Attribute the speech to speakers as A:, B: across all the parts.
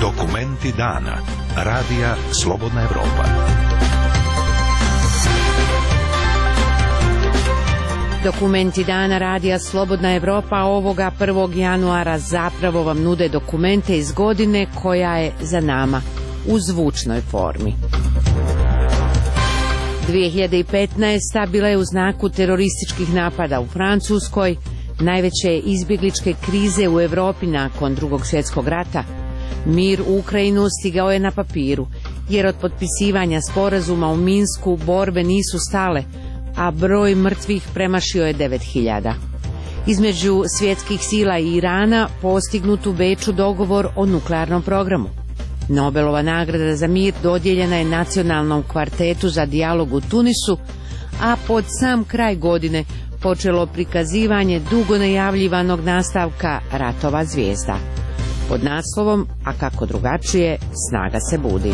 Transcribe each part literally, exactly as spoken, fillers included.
A: Dokumenti dana. Radija Slobodna Evropa.
B: Dokumenti dana Radija Slobodna Evropa ovoga prvog januara zapravo vam nude dokumente iz godine koja je za nama u zvučnoj formi. dvije hiljade petnaesta. bila je u znaku terorističkih napada u Francuskoj, najveće izbjegličke krize u Evropi nakon Drugog svjetskog rata. Mir u Ukrajinu stigao je na papiru, jer od potpisivanja sporazuma u Minsku borbe nisu stale, a broj mrtvih premašio je devet hiljada. Između svjetskih sila i Irana postignut u Beču dogovor o nuklearnom programu. Nobelova nagrada za mir dodijeljena je nacionalnom kvartetu za dijalog u Tunisu, a pod sam kraj godine počelo prikazivanje dugo najavljivanog nastavka Ratova zvijezda. Pod naslovom A kako drugačije, snaga se budi.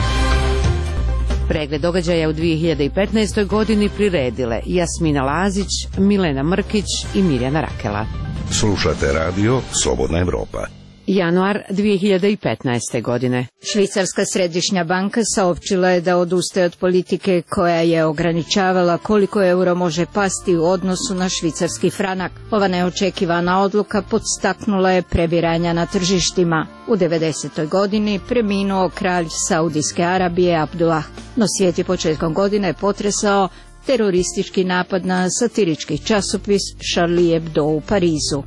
B: Pregled događaja u dvije hiljade petnaestoj. godini priredile Jasmina Lazić, Milena Mrkić i Mirjana Rakela.
A: Slušate radio Slobodna Evropa.
B: Januar dvije hiljade petnaeste. godine.
C: Švicarska središnja banka saopćila je da odustaje od politike koja je ograničavala koliko euro može pasti u odnosu na švicarski franak. Ova neočekivana odluka podstaknula je prebiranja na tržištima. U devedesetoj. godini preminuo kralj Saudijske Arabije Abdullah, no svijet je početkom godine potresao teroristički napad na satirički časopis Charlie Hebdo u Parizu.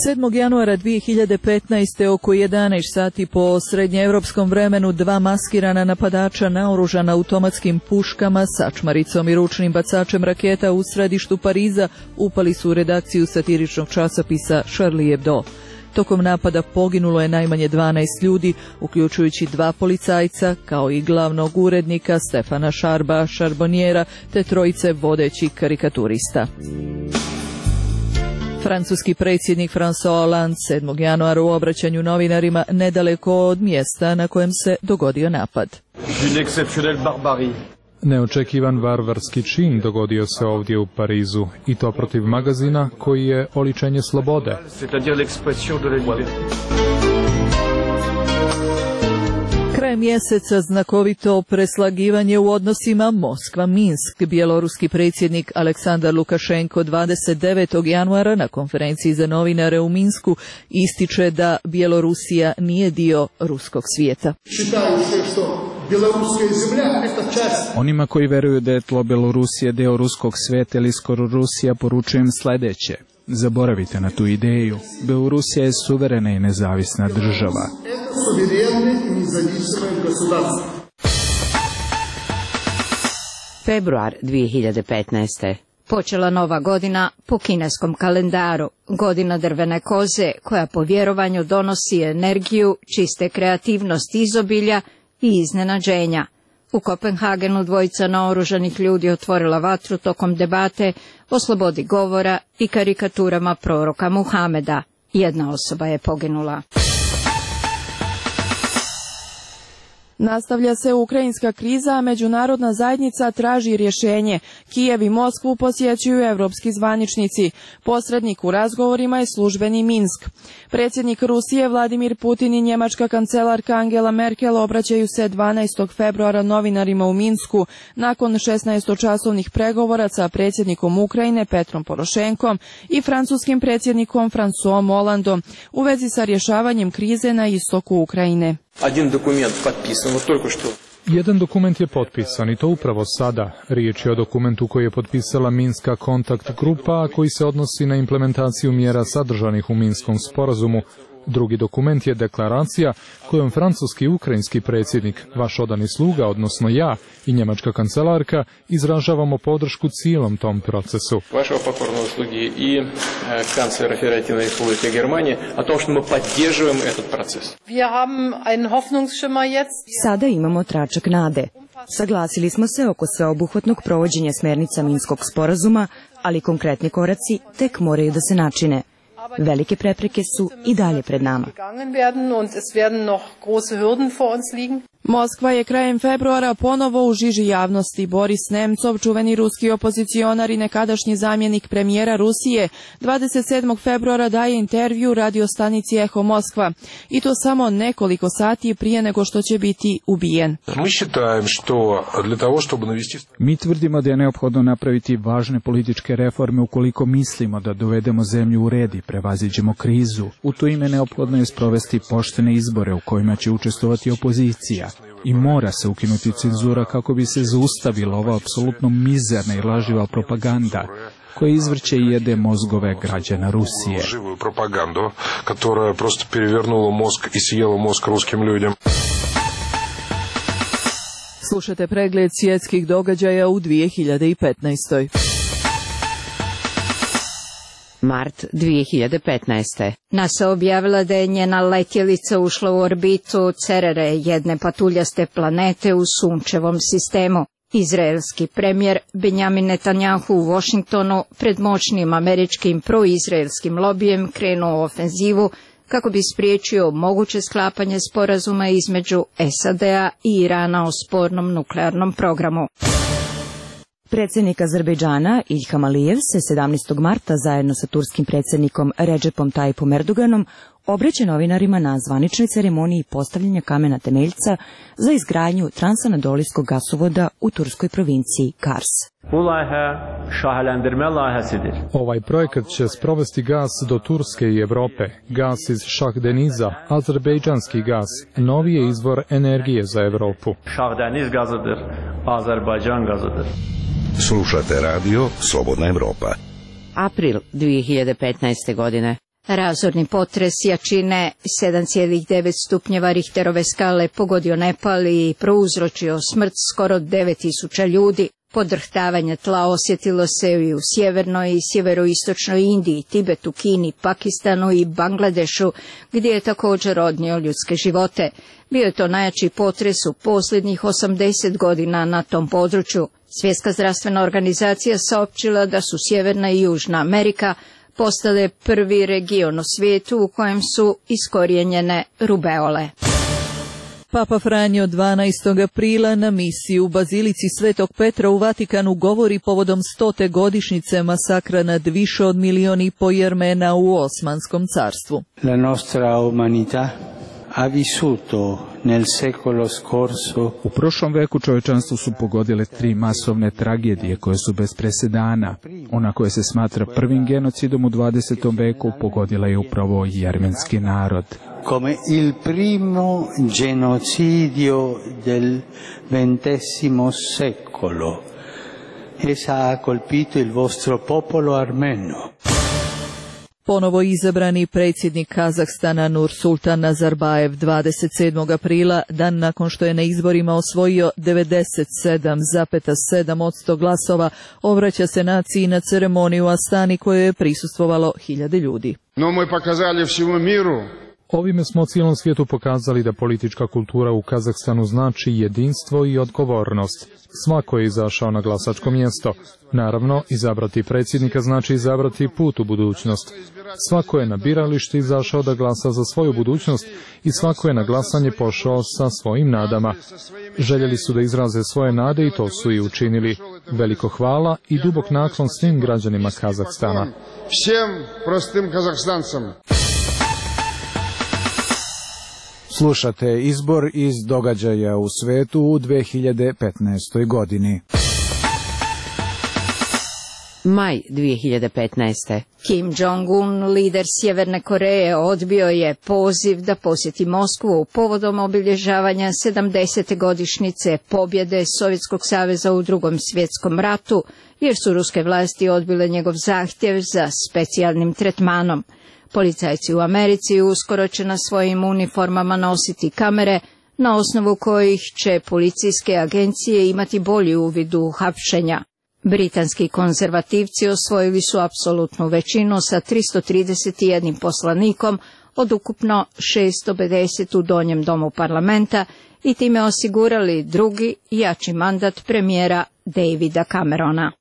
D: sedmog januara dvije hiljade petnaeste. oko jedanaest sati po srednjeevropskom vremenu dva maskirana napadača naoružana automatskim puškama, sačmaricom i ručnim bacačem raketa u središtu Pariza upali su u redakciju satiričnog časopisa Charlie Hebdo. Tokom napada poginulo je najmanje dvanaest ljudi, uključujući dva policajca, kao i glavnog urednika Stefana Šarba Šarbonjera, te trojice vodećih karikaturista. Francuski predsjednik François Hollande sedmog januara u obraćanju novinarima nedaleko od mjesta na kojem se dogodio napad.
E: Neočekivan varvarski čin dogodio se ovdje u Parizu, i to protiv magazina koji je oličenje slobode.
D: Kraj mjeseca znakovito preslagivanje u odnosima Moskva-Minsk. Bjeloruski predsjednik Aleksandar Lukašenko dvadeset devetog januara na konferenciji za novinare u Minsku ističe da Bjelorusija nije dio ruskog svijeta.
F: Onima koji veruju da je tlo Bjelorusije deo ruskog svijeta ili skoro Rusija, poručujem sljedeće. Zaboravite na tu ideju. Bjelorusija je suverena i nezavisna država.
B: Februar dvije hiljade petnaeste.
C: Počela nova godina po kineskom kalendaru, godina drvene koze koja po vjerovanju donosi energiju, čiste kreativnost izobilja i iznenađenja. U Kopenhagenu dvojica naoružanih ljudi otvorila vatru tokom debate o slobodi govora i karikaturama proroka Muhameda. Jedna osoba je poginula.
G: Nastavlja se ukrajinska kriza, a međunarodna zajednica traži rješenje. Kijev i Moskvu posjećuju evropski zvaničnici. Posrednik u razgovorima je službeni Minsk. Predsjednik Rusije Vladimir Putin i njemačka kancelarka Angela Merkel obraćaju se dvanaestog februara novinarima u Minsku nakon šesnaestočasovnih pregovora sa predsjednikom Ukrajine Petrom Porošenkom i francuskim predsjednikom François Hollandom u vezi sa rješavanjem krize na istoku Ukrajine.
E: Jedan dokument je potpisan i to upravo sada. Riječ je o dokumentu koji je potpisala Minska kontakt grupa, a koji se odnosi na implementaciju mjera sadržanih u Minskom sporazumu. Drugi dokument je deklaracija kojom francuski i ukrajinski predsjednik, vaš odani sluga, odnosno ja i njemačka kancelarka, izražavamo podršku cijelom tom procesu.
H: Vašeg pokornog slugi i kanclera Federativne Republike Germanije o tom što mi podržujemo этот proces.
I: Sada imamo tračak nade. Saglasili smo se oko sveobuhvatnog provođenja smjernica Minskog sporazuma, ali konkretni koraci tek moraju da se načine. Velike prepreke su i dalje pred nama.
G: Moskva je krajem februara ponovo u žiži javnosti. Boris Nemcov, čuveni ruski opozicionar i nekadašnji zamjenik premijera Rusije, dvadeset sedmog februara daje intervju radiostanici Eho Moskva. I to samo nekoliko sati prije nego što će biti ubijen.
F: Mi tvrdimo da je neophodno napraviti važne političke reforme ukoliko mislimo da dovedemo zemlju u red i prevaziđemo krizu. U to ime neophodno je sprovesti poštene izbore u kojima će učestvovati opozicija. I mora se ukinuti cenzura kako bi se zaustavila ova apsolutno mizerna i laživa propaganda koja izvrće i jede mozgove građana Rusije.
J: Propagandu, koja prosto перевернула mozg i sjela mozg ruskim ljudima.
D: Slušajte pregled svjetskih događaja u dvije hiljade petnaestoj.
B: Mart dvije hiljade petnaeste.
C: NASA objavila da je njena letjelica ušla u orbitu Cerere, jedne patuljaste planete u sunčevom sistemu. Izraelski premijer Benjamin Netanjahu u Washingtonu pred moćnim američkim proizraelskim lobijem krenuo u ofenzivu kako bi spriječio moguće sklapanje sporazuma između S A D-a i Irana o spornom nuklearnom programu.
I: Predsjednik Azerbejdžana Ilham Alijev se sedamnaestog marta zajedno sa turskim predsjednikom Recepom Tayyipom Erdoganom obraća novinarima na zvaničnoj ceremoniji postavljanja kamena temeljca za izgradnju transanadolijskog gasovoda u turskoj provinciji Kars.
E: Ovaj projekat će sprovesti gas do Turske i Evrope, gas iz Šahdeniza, azerbejdžanski gas, novi je izvor energije za Evropu.
K: Šahdeniz gazıdır, Azerbaycan gazıdır.
A: Slušate radio Slobodna Evropa.
B: April dvije hiljade petnaeste. godine.
C: Razorni potres jačine sedam zarez devet stupnjeva Richterove skale pogodio Nepal i prouzročio smrt skoro devet tisuća ljudi. Podrhtavanje tla osjetilo se i u sjevernoj i sjeveroistočnoj Indiji, Tibetu, Kini, Pakistanu i Bangladešu, gdje je također odnio ljudske živote. Bio je to najjači potres u posljednjih osamdeset godina na tom području. Svjetska zdravstvena organizacija saopćila da su Sjeverna i Južna Amerika postale prvi region u svijetu u kojem su iskorijenjene rubeole.
D: Papa Franjo dvanaestog aprila na misiji u Bazilici Svetog Petra u Vatikanu govori povodom stote godišnjice masakra nad više od milion i po Jermena u Osmanskom carstvu.
L: La nostra umanità ha vissuto nel secolo scorso.
F: U prošlom veku čovječanstvo su pogodile tri masovne tragedije koje su bez presedana. Ona koja se smatra prvim genocidom u dvadesetom veku pogodila je upravo jermenski narod.
L: Come il primo genocidio del ventesimo secolo. Essa ha colpito il vostro popolo armeno.
D: Ponovo izabrani predsjednik Kazahstana Nursultan Nazarbajev dvadeset sedmog aprila, dan nakon što je na izborima osvojio devedeset sedam zarez sedam posto glasova, obraća se naciji na ceremoniju u Astani kojoj je prisustvovalo hiljade ljudi.
M: No мы показали всему миру.
E: Ovime smo cijelom svijetu pokazali da politička kultura u Kazahstanu znači jedinstvo i odgovornost. Svako je izašao na glasačko mjesto. Naravno, izabrati predsjednika znači izabrati put u budućnost. Svako je na biralište izašao da glasa za svoju budućnost i svako je na glasanje pošao sa svojim nadama. Željeli su da izraze svoje nade i to su i učinili. Veliko hvala i dubok naklon svim građanima Kazahstana.
M: Всем простым казахстанцам.
N: Slušate izbor iz događaja u svetu u dvije hiljade petnaestoj. godini.
B: Maj dvije hiljade petnaeste.
C: Kim Jong-un, lider Sjeverne Koreje, odbio je poziv da posjeti Moskvu povodom obilježavanja sedamdesete godišnjice pobjede Sovjetskog saveza u Drugom svjetskom ratu, jer su ruske vlasti odbile njegov zahtjev za specijalnim tretmanom. Policajci u Americi uskoro će na svojim uniformama nositi kamere, na osnovu kojih će policijske agencije imati bolji uvid u hapšenja. Britanski konzervativci osvojili su apsolutnu većinu sa tristo trideset jedan poslanikom od ukupno šesto pedeset u donjem domu parlamenta i time osigurali drugi jači mandat premijera Davida Camerona.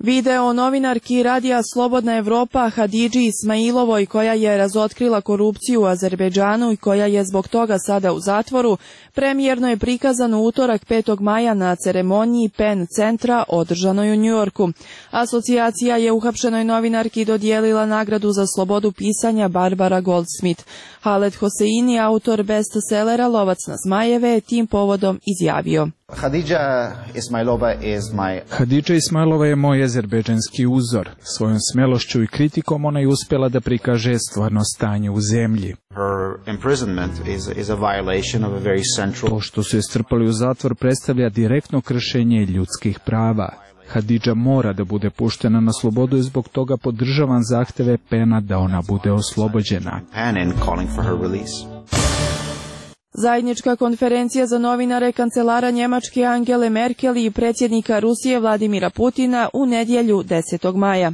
G: Video novinarki radija Slobodna Evropa Hadidži Ismailovoj, koja je razotkrila korupciju u Azerbejdžanu i koja je zbog toga sada u zatvoru, premijerno je prikazan u utorak petog maja na ceremoniji Penn centra održanoj u Njujorku. Asocijacija je uhapšenoj novinarki dodijelila nagradu za slobodu pisanja Barbara Goldsmith. Haled Hoseini, autor bestsellera Lovac na zmajeve, je tim povodom izjavio:
O: Hadidža Ismailova is my...
F: Hadidža Ismailova je moj azerbejdžanski uzor. Svojom smelošću i kritikom ona je uspjela da prikaže stvarno stanje u zemlji.
O: Her imprisonment is, is a violation of a very central...
F: To što su je strpali u zatvor predstavlja direktno kršenje ljudskih prava. Hadidža mora da bude puštena na slobodu i zbog toga podržavam zahteve Pena da ona bude oslobođena.
G: Zajednička konferencija za novinare kancelara Njemačke Angele Merkel i predsjednika Rusije Vladimira Putina u nedjelju desetog maja.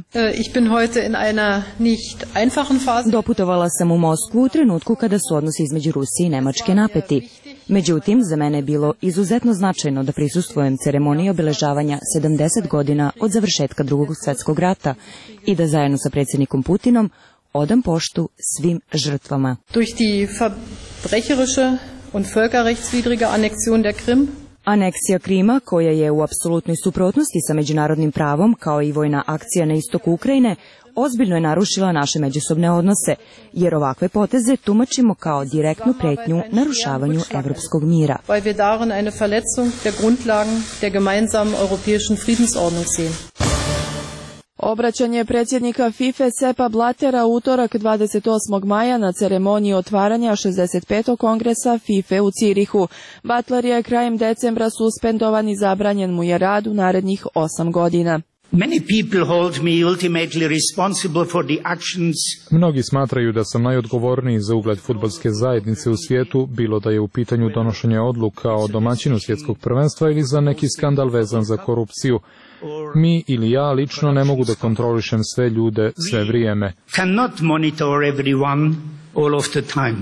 I: Doputovala sam u Moskvu u trenutku kada su odnosi između Rusije i Nemačke napeti. Međutim, za mene je bilo izuzetno značajno da prisustvujem ceremoniji obeležavanja sedamdeset godina od završetka Drugog svjetskog rata i da zajedno sa predsjednikom Putinom odam poštu svim žrtvama.
P: Durch die verbrecherische und völkerrechtswidrige Annexion der Krim.
I: Aneksija Krima, koja je u apsolutnoj suprotnosti sa međunarodnim pravom, kao i vojna akcija na istoku Ukrajine, ozbiljno je narušila naše međusobne odnose, jer ovakve poteze tumačimo kao direktnu pretnju narušavanju evropskog mira.
P: Weil wir darin eine Verletzung der Grundlagen der gemeinsamen europäischen Friedensordnung sehen.
G: Obraćanje predsjednika FIFA Seppa Blattera utorak dvadeset osmog maja na ceremoniji otvaranja šezdeset petog kongresa FIFA u Cirihu. Butler je krajem decembra suspendovan i zabranjen mu je rad u narednih osam godina.
Q: Many people hold me ultimately responsible for the actions.
E: Mnogi smatraju da sam najodgovorniji za ugled fudbalske zajednice u svijetu, bilo da je u pitanju donošenje odluka o domaćinu svjetskog prvenstva ili za neki skandal vezan za korupciju. Mi ili ja lično ne mogu da kontrolišem sve ljude sve vrijeme.
Q: Cannot monitor everyone all of the time.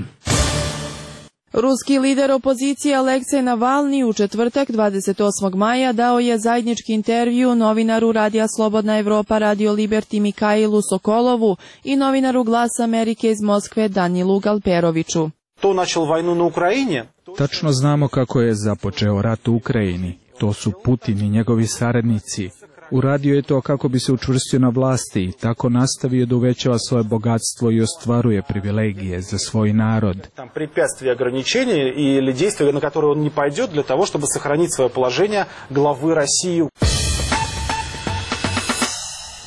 G: Ruski lider opozicije Aleksej Navalni u četvrtak dvadeset osmog maja dao je zajednički intervju novinaru radija Slobodna Evropa Radio Liberty Mikailu Sokolovu i novinaru Glasa Amerike iz Moskve Danilu Galperoviću.
R: To načel vojnu na Ukrajini?
F: Tačno znamo kako je započeo rat u Ukrajini. To su Putin i njegovi saradnici. Uradio je to kako bi se učvrstio na vlasti i tako nastavio da uvećava svoje bogatstvo i ostvaruje privilegije za svoj narod.
R: Там препятствия, ограничения или действия, на которые он не пойдет для того, чтобы сохранить свое положение главы России.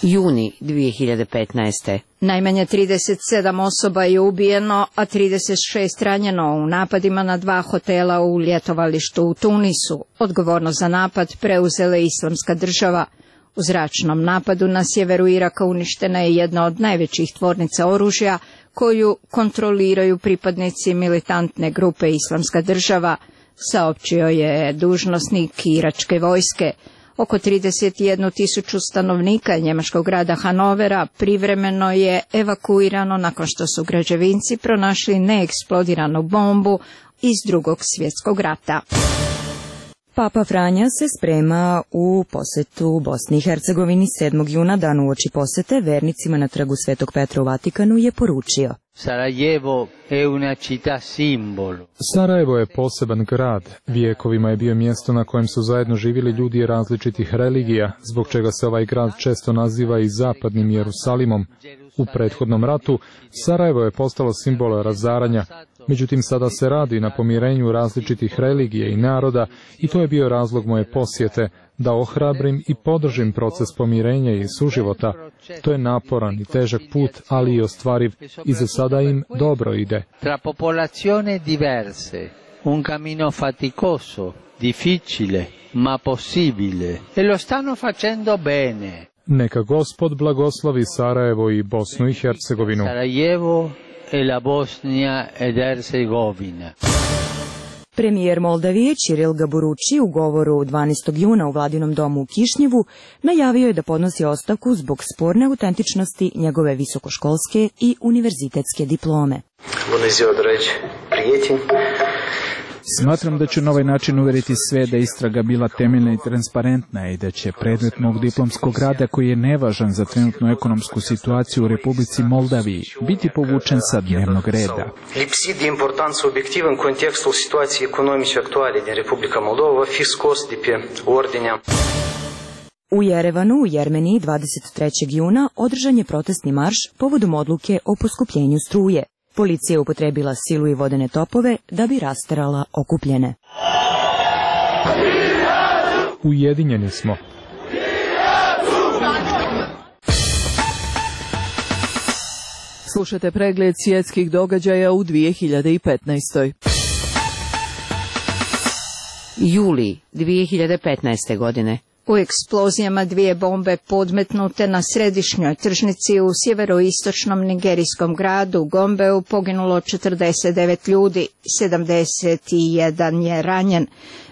B: Juni dvije hiljade petnaeste.
C: Najmanje trideset sedam osoba je ubijeno, a trideset šest ranjeno u napadima na dva hotela u ljetovalištu u Tunisu. Odgovornost za napad preuzela je Islamska država. U zračnom napadu na sjeveru Iraka uništena je jedna od najvećih tvornica oružja koju kontroliraju pripadnici militantne grupe Islamska država, saopćio je dužnosnik iračke vojske. Oko trideset jednu tisuću stanovnika njemačkog grada Hanovera privremeno je evakuirano nakon što su građevinci pronašli neeksplodiranu bombu iz Drugog svjetskog rata.
I: Papa Franja se sprema u posetu Bosni i Hercegovini. sedmog juna, dan uoči posete, vernicima na trgu Svetog Petra u Vatikanu je poručio:
L: Sarajevo je una città simbolo.
E: Sarajevo je poseban grad. Vijekovima je bio mjesto na kojem su zajedno živjeli ljudi različitih religija, zbog čega se ovaj grad često naziva i zapadnim Jerusalimom. U prethodnom ratu Sarajevo je postalo simbol razaranja, međutim sada se radi na pomirenju različitih religija i naroda i to je bio razlog moje posjete, da ohrabrim i podržim proces pomirenja i suživota. To je naporan i težak put, ali i ostvariv i za sada im dobro ide.
L: Tra popolazioni diverse, un cammino faticoso, difficile, ma possibile. E lo stanno facendo bene.
E: Neka Gospod blagoslovi Sarajevo i Bosnu i Hercegovinu.
L: Sarajevo e la Bosnia ed Hercegovina.
I: Premijer Moldavije Ćiril Gaburući u govoru dvanaestog juna u Vladinom domu u Kišnjevu najavio je da podnosi ostavku zbog sporne autentičnosti njegove visokoškolske i univerzitetske diplome.
F: Smatram da ću na ovaj način uvjeriti sve da istraga bila temeljna i transparentna i da će predmet mog diplomskog rada, koji je nevažan za trenutnu ekonomsku situaciju u Republici Moldaviji, biti povučen sa dnevnog reda.
S: Lipsit de importanță obiectivă în contextul situației economice actuale din Republica Moldova va fi scos de pe ordinea.
I: U Jerevanu, u Jermeniji, dvadeset trećeg juna održan je protestni marš povodom odluke o poskupljenju struje. Policija je upotrebila silu i vodene topove da bi rasterala okupljene.
E: Ujedinjeni smo.
D: Slušate pregled svjetskih događaja u dvije hiljade petnaestoj.
B: Juli dvije hiljade petnaeste. godine.
C: U eksplozijama dvije bombe podmetnute na središnjoj tržnici u sjeveroistočnom nigerijskom gradu Gombeu poginulo četrdeset devet ljudi, sedamdeset jedan je ranjen.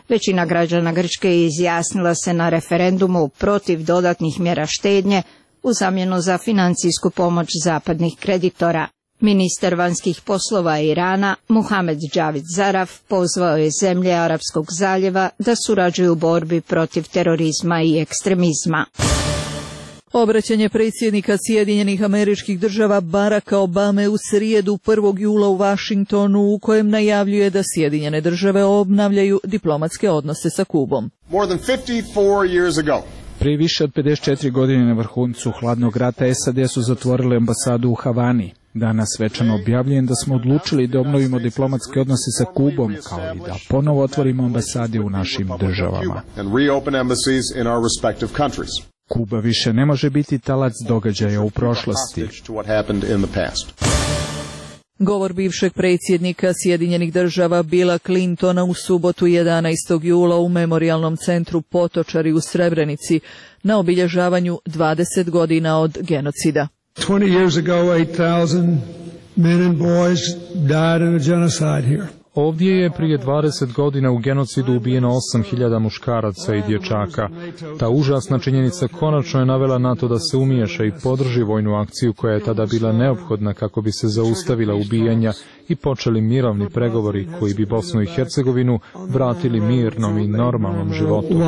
C: Većina građana Grčke izjasnila se na referendumu protiv dodatnih mjera štednje u zamjenu za financijsku pomoć zapadnih kreditora. Ministar vanjskih poslova Irana, Muhamed Javad Zaraf, pozvao je zemlje Arapskog zaljeva da surađuju u borbi protiv terorizma i ekstremizma.
D: Obraćanje predsjednika Sjedinjenih Američkih Država Baracka Obame u srijedu prvog jula u Washingtonu, u kojem najavljuje da Sjedinjene Države obnavljaju diplomatske odnose sa Kubom.
M: More than fifty-four years ago.
F: Prije više od pedeset četiri godine na vrhuncu hladnog rata S A D su zatvorili ambasadu u Havani. Danas svečano objavljujem da smo odlučili da obnovimo diplomatske odnose sa Kubom, kao i da ponovo otvorimo ambasade u našim državama. Kuba više ne može biti talac događaja u prošlosti.
D: Govor bivšeg predsjednika Sjedinjenih Država Billa Clintona u subotu jedanaestog jula u Memorijalnom centru Potočari u Srebrenici na obilježavanju dvadeset godina od genocida.
T: twenty years ago, eight thousand men and boys died in a genocide here.
E: Ovdje je prije dvadeset godina u genocidu ubijeno osam hiljada muškaraca i dječaka. Ta užasna činjenica konačno je navela NATO da se umiješa i podrži vojnu akciju koja je tada bila neophodna kako bi se zaustavila ubijanja i počeli mirovni pregovori koji bi Bosnu i Hercegovinu vratili mirnom i normalnom životu.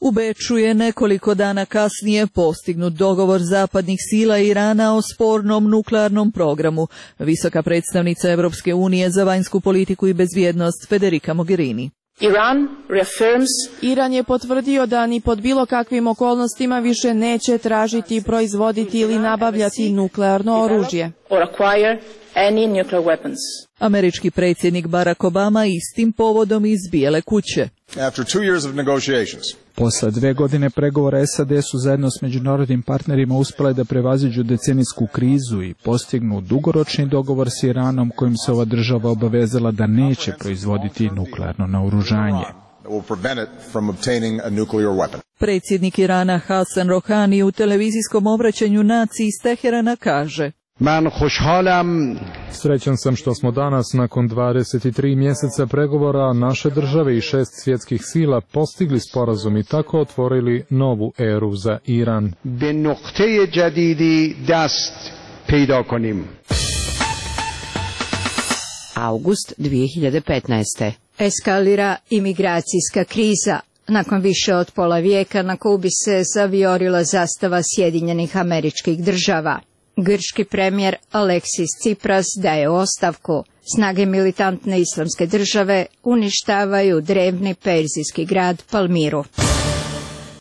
D: U Beču je nekoliko dana kasnije postignut dogovor zapadnih sila Irana o spornom nuklearnom programu. Visoka predstavnica Europske unije za vanjsku politiku i bezbjednost Federica Mogherini.
G: Iran, reaffirms... Iran je potvrdio da ni pod bilo kakvim okolnostima više neće tražiti, proizvoditi ili nabavljati nuklearno oružje.
P: Or acquire any nuclear weapons.
D: Američki predsjednik Barack Obama istim povodom iz Bijele kuće.
M: After two years of negotiations.
F: Posle dve godine pregovora S A D su zajedno s međunarodnim partnerima uspjele da prevaziđu decenijsku krizu i postignu dugoročni dogovor s Iranom kojim se ova država obavezala da neće proizvoditi nuklearno naoružanje.
D: Predsjednik Irana Hasan Rohani u televizijskom obraćanju naciji iz Teherana kaže:
U: Man خوشحالم.
E: Srećan sam što smo danas nakon dvadeset tri mjeseca pregovora naše države i šest svjetskih sila postigli sporazum i tako otvorili novu eru za Iran.
U: Be nuqte jadidi dast pejda konim.
B: August dvije hiljade petnaeste.
C: Eskalira imigracijska kriza. Nakon više od pola vijeka na Kubi se zavijorila zastava Sjedinjenih Američkih Država. Grčki premijer Aleksis Tsipras daje ostavku. Snage militantne islamske države uništavaju drevni perzijski grad Palmiru.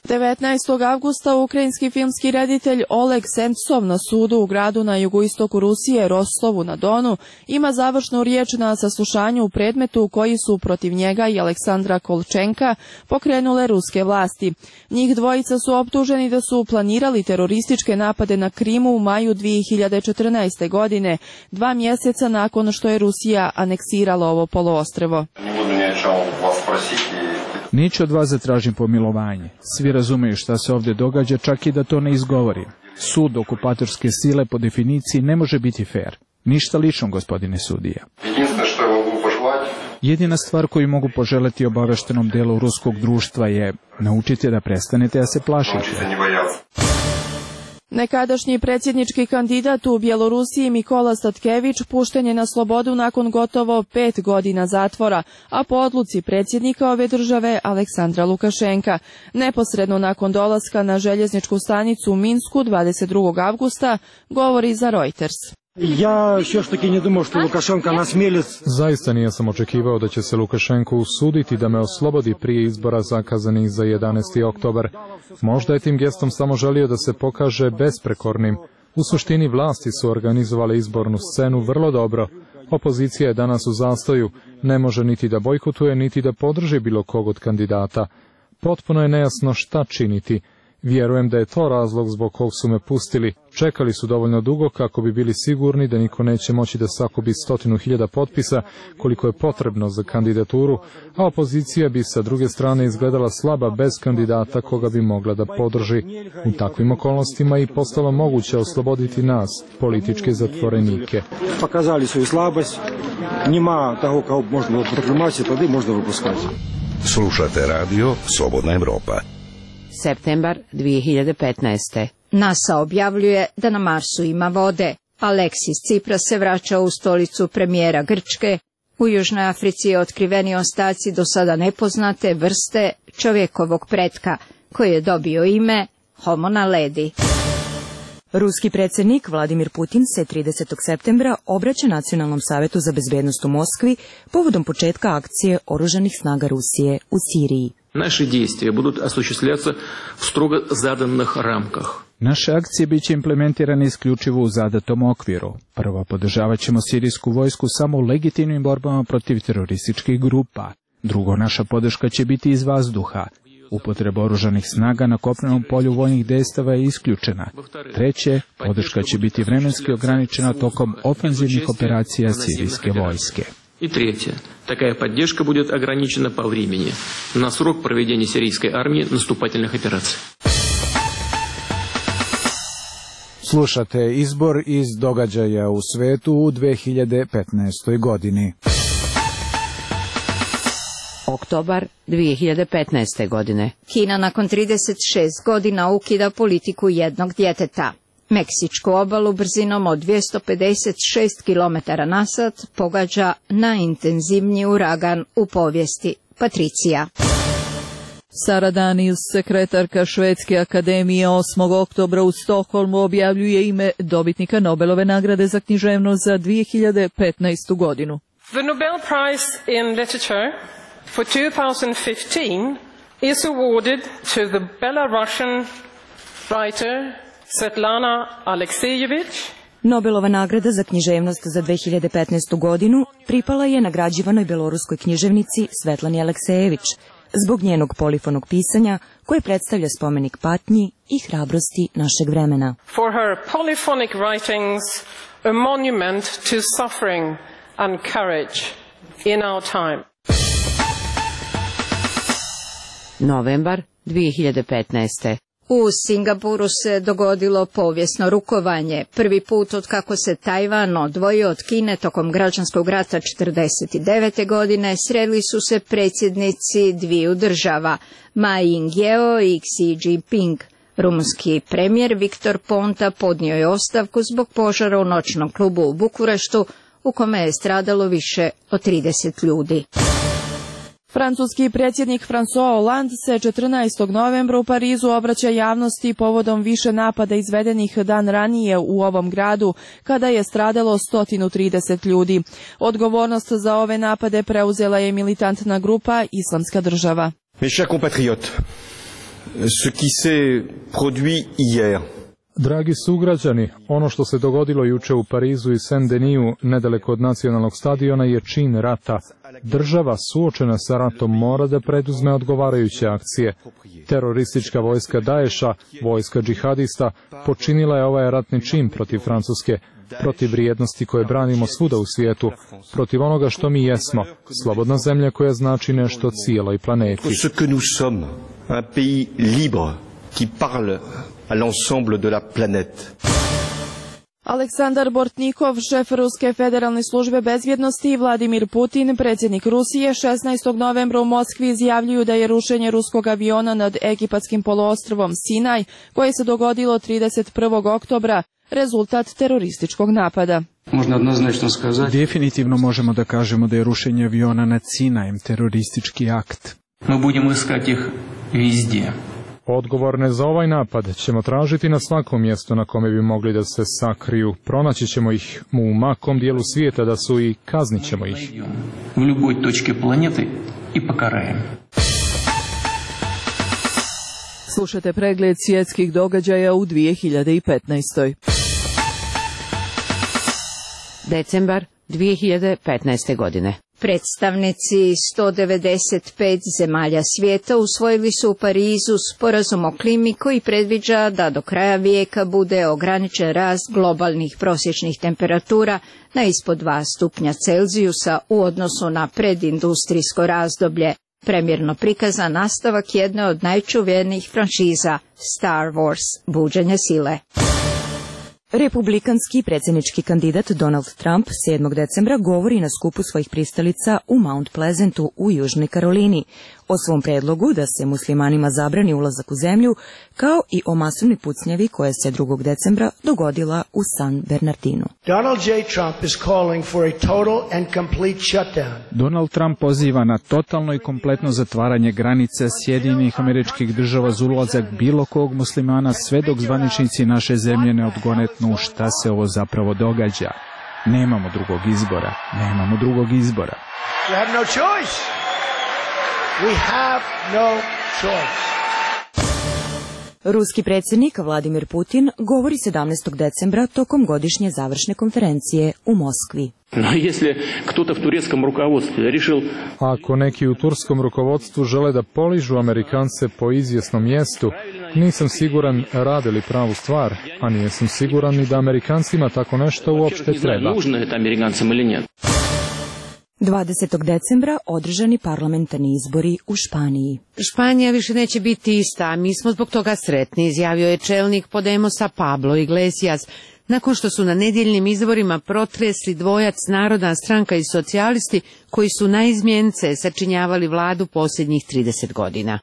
G: devetnaestog avgusta ukrajinski filmski reditelj Oleg Sentsov na sudu u gradu na jugoistoku Rusije, Rostovu na Donu, ima završnu riječ na saslušanju u predmetu koji su protiv njega i Aleksandra Kolčenka pokrenule ruske vlasti. Njih dvojica su optuženi da su planirali terorističke napade na Krimu u maju dvije hiljade četrnaeste. godine, dva mjeseca nakon što je Rusija aneksirala ovo poluostrvo.
F: Neću od vas zatražim pomilovanje. Svi razumeju šta se ovdje događa, čak i da to ne izgovorim. Sud okupatorske sile po definiciji ne može biti fair. Ništa lično, gospodine sudija. Jedina stvar koju mogu poželjeti obaveštenom delu ruskog društva je naučite da prestanete da se plašite.
G: Nekadašnji predsjednički kandidat u Bjelorusiji Mikola Statkević pušten je na slobodu nakon gotovo pet godina zatvora, a po odluci predsjednika ove države Aleksandra Lukašenka. Neposredno nakon dolaska na željezničku stanicu u Minsku dvadeset drugog avgusta govori za Reuters.
H: Ja все-таки не думал, что Лукашенко насмелится.
E: Zaista nisam očekivao da će se Lukašenko usuditi da me oslobodi prije izbora zakazanih za jedanaesti oktobar. Možda je tim gestom samo želio da se pokaže besprekornim. U suštini vlasti su organizovale izbornu scenu vrlo dobro. Opozicija je danas u zastoju, ne može niti da bojkotuje, niti da podrži bilo kog od kandidata. Potpuno je nejasno šta činiti. Vjerujem da je to razlog zbog kog su me pustili. Čekali su dovoljno dugo kako bi bili sigurni da niko neće moći da sakupi stotinu hiljada potpisa koliko je potrebno za kandidaturu, a opozicija bi sa druge strane izgledala slaba bez kandidata koga bi mogla da podrži. U takvim okolnostima i postalo moguće osloboditi nas, političke zatvorenike.
H: Pokazali su i slabost, nima toho kao možda proklamacije, tada možda vypuskati.
A: Slušate radio Slobodna Evropa.
B: Septembar dvije hiljade petnaeste.
C: NASA objavljuje da na Marsu ima vode. Aleksis Tsipras se vraća u stolicu premijera Grčke. U Južnoj Africi je otkriveni ostaci do sada nepoznate vrste čovjekovog pretka, koji je dobio ime Homo naledi.
I: Ruski predsjednik Vladimir Putin se tridesetog septembra obraća Nacionalnom savjetu za bezbednost u Moskvi povodom početka akcije oružanih snaga Rusije u Siriji.
V: Naše действия будут осуществляться в строго заданных рамках.
F: Naše akcije bit će implementirane isključivo u zadatom okviru. Prvo, podržavat ćemo sirijsku vojsku samo u legitimnim borbama protiv terorističkih grupa. Drugo, naša podrška će biti iz vazduha. Upotreba oružanih snaga na kopnenom polju vojnih dejstava je isključena. Treće, podrška će biti vremenski ograničena tokom ofenzivnih operacija sirijske vojske.
V: И третье. Такая поддержка будет ограничена по времени на срок проведения сирийской армии наступательных операций.
N: Slušate izbor iz događaja u svetu u dve hiljade petnaestoj godini.
B: Oktobar dvije hiljade petnaeste. godine.
C: Kina nakon trideset šest godina ukida politiku jednog djeteta. Meksičku obalu brzinom od dvjesto pedeset šest kilometara na sat pogađa najintenzivniji uragan u povijesti. Patricija.
D: Sara Daniels, sekretarka Švedske akademije, osmog oktobra u Stokholmu objavljuje ime dobitnika Nobelove nagrade za književnost za dvije hiljade petnaestu. godinu.
W: The Nobel Prize in Literature for two thousand fifteen is awarded to the Belarusian writer Svetlana Aleksijević.
I: Nobelova nagrada za književnost za dve hiljade petnaestu. godinu pripala je nagrađivanoj beloruskoj književnici Svetlani Aleksejević zbog njenog polifonog pisanja koje predstavlja spomenik patnji i hrabrosti našeg vremena.
W: For her polyphonic writings, a monument to suffering and courage in our time.
B: Novembar dvije hiljade petnaeste.
C: U Singapuru se dogodilo povijesno rukovanje. Prvi put od kako se Tajvan odvojio od Kine tokom građanskog rata četrdeset devete. godine sreli su se predsjednici dviju država, Ma Ying-jeou i Xi Jinping. Rumunski premijer Viktor Ponta podnio je ostavku zbog požara u noćnom klubu u Bukureštu, u kome je stradalo više od trideset ljudi.
G: Francuski predsjednik François Hollande se četrnaestog novembra u Parizu obraća javnosti povodom više napada izvedenih dan ranije u ovom gradu, kada je stradalo sto trideset ljudi. Odgovornost za ove napade preuzela je militantna grupa Islamska država.
X: Mes chers compatriotes, ce qui s'est produit hier.
E: Dragi sugrađani, ono što se dogodilo juče u Parizu i Saint-Denis, nedaleko od nacionalnog stadiona, je čin rata. Država suočena sa ratom mora da preduzme odgovarajuće akcije. Teroristička vojska Daesha, vojska džihadista, počinila je ovaj ratni čin protiv Francuske, protiv vrijednosti koje branimo svuda u svijetu, protiv onoga što mi jesmo, slobodna zemlja koja znači nešto cijeloj planeti.
X: Ce que nous sommes, un pays libre qui parle à l'ensemble de la planète.
G: Aleksandar Bortnikov, šef Ruske federalne službe bezbjednosti, i Vladimir Putin, predsjednik Rusije, šesnaestog novembra u Moskvi izjavljuju da je rušenje ruskog aviona nad egipatskim poluostrvom Sinaj, koje se dogodilo trideset prvog oktobra, rezultat terorističkog napada.
F: Definitivno možemo da kažemo da je rušenje aviona nad Sinajem teroristički akt.
V: Мы будем искать их везде.
E: Odgovorne za ovaj napad ćemo tražiti na svakom mjestu na kome bi mogli da se sakriju. Pronaći ćemo ih u makom dijelu svijeta da su i kaznit ćemo ih.
V: В любой точке планеты и покараем.
D: Slušate pregled svjetskih događaja u dvije hiljade petnaestoj.
B: Decembar dvije hiljade petnaeste. godine.
C: Predstavnici sto devedeset pet zemalja svijeta usvojili su u Parizu sporazum o klimi koji predviđa da do kraja vijeka bude ograničen rast globalnih prosječnih temperatura na ispod dva stupnja Celzijusa u odnosu na predindustrijsko razdoblje. Premjerno prikazan nastavak jedne od najčuvenijih franšiza Star Wars, buđenje sile.
I: Republikanski predsjednički kandidat Donald Trump sedmog decembra govori na skupu svojih pristalica u Mount Pleasantu u Južnoj Karolini o svom predlogu da se muslimanima zabrani ulazak u zemlju, kao i o masovnoj pucnjavi koja se drugog decembra dogodila u San Bernardinu.
J: Donald J. Trump is calling for a total and complete shutdown.
F: Donald Trump poziva na totalno i kompletno zatvaranje granica Sjedinjenih Američkih Država za ulazak bilo kog muslimana sve dok zvaničnici naše zemlje ne odgonetnu šta se ovo zapravo događa. Nemamo drugog izbora. Nemamo drugog izbora.
J: We have no choice. We have no choice.
I: Ruski predsjednik Vladimir Putin govori sedamnaestog decembra tokom godišnje završne konferencije u Moskvi.
E: Ako neki u turskom rukovodstvu žele da poližu Amerikance po izvjesnom mjestu, nisam siguran rade li pravu stvar, a nisam siguran ni da Amerikancima tako nešto uopšte treba.
I: dvadesetog decembra održani parlamentarni izbori u Španiji.
B: Španija više neće biti ista, a mi smo zbog toga sretni, izjavio je čelnik Podemosa Pablo Iglesias, nakon što su na nedjeljnim izborima protresli dvojac Narodna stranka i socijalisti koji su na izmjence sačinjavali vladu posljednjih trideset godina.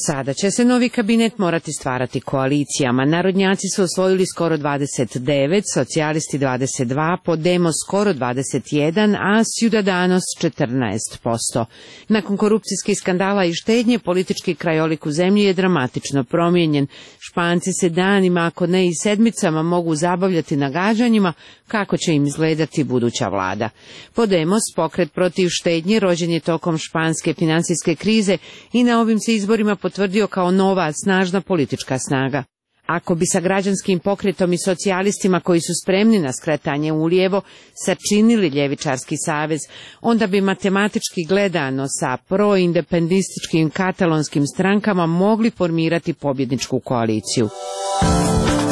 B: Sada će se novi kabinet morati stvarati koalicijama. Narodnjaci su osvojili skoro dvadeset devet, socijalisti dvadeset dva, Podemos skoro dvadeset jedan, a Ciudadanos četrnaest posto. Nakon korupcijskih skandala i štednje, politički krajolik u zemlji je dramatično promijenjen. Španci se danima, ako ne i sedmicama, mogu zabavljati nagađanjima kako će im izgledati buduća vlada. Podemos, pokret protiv štednje, rođen je tokom španske financijske krize i na ovim se izborima potvrdio kao nova, snažna politička snaga. Ako bi sa građanskim pokretom i socijalistima koji su spremni na skretanje ulijevo sačinili ljevičarski savez, onda bi matematički gledano sa proindependističkim katalonskim strankama mogli formirati pobjedničku koaliciju.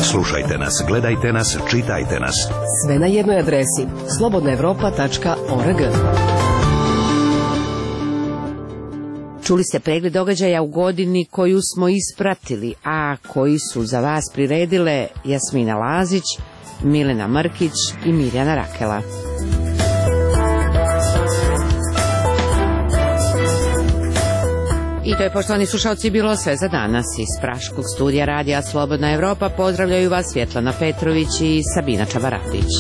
A: Slušajte nas, gledajte nas, čitajte nas.
K: Sve na jednoj adresi slobodna europa tačka org.
B: Čuli ste pregled događaja u godini koju smo ispratili, a koji su za vas priredile Jasmina Lazić, Milena Mrkić i Mirjana Rakela. I to je, poštovani slušalci, bilo sve za danas. Iz Praškog studija radija Slobodna Evropa pozdravljaju vas Svjetlana Petrović i Sabina Čabaratić.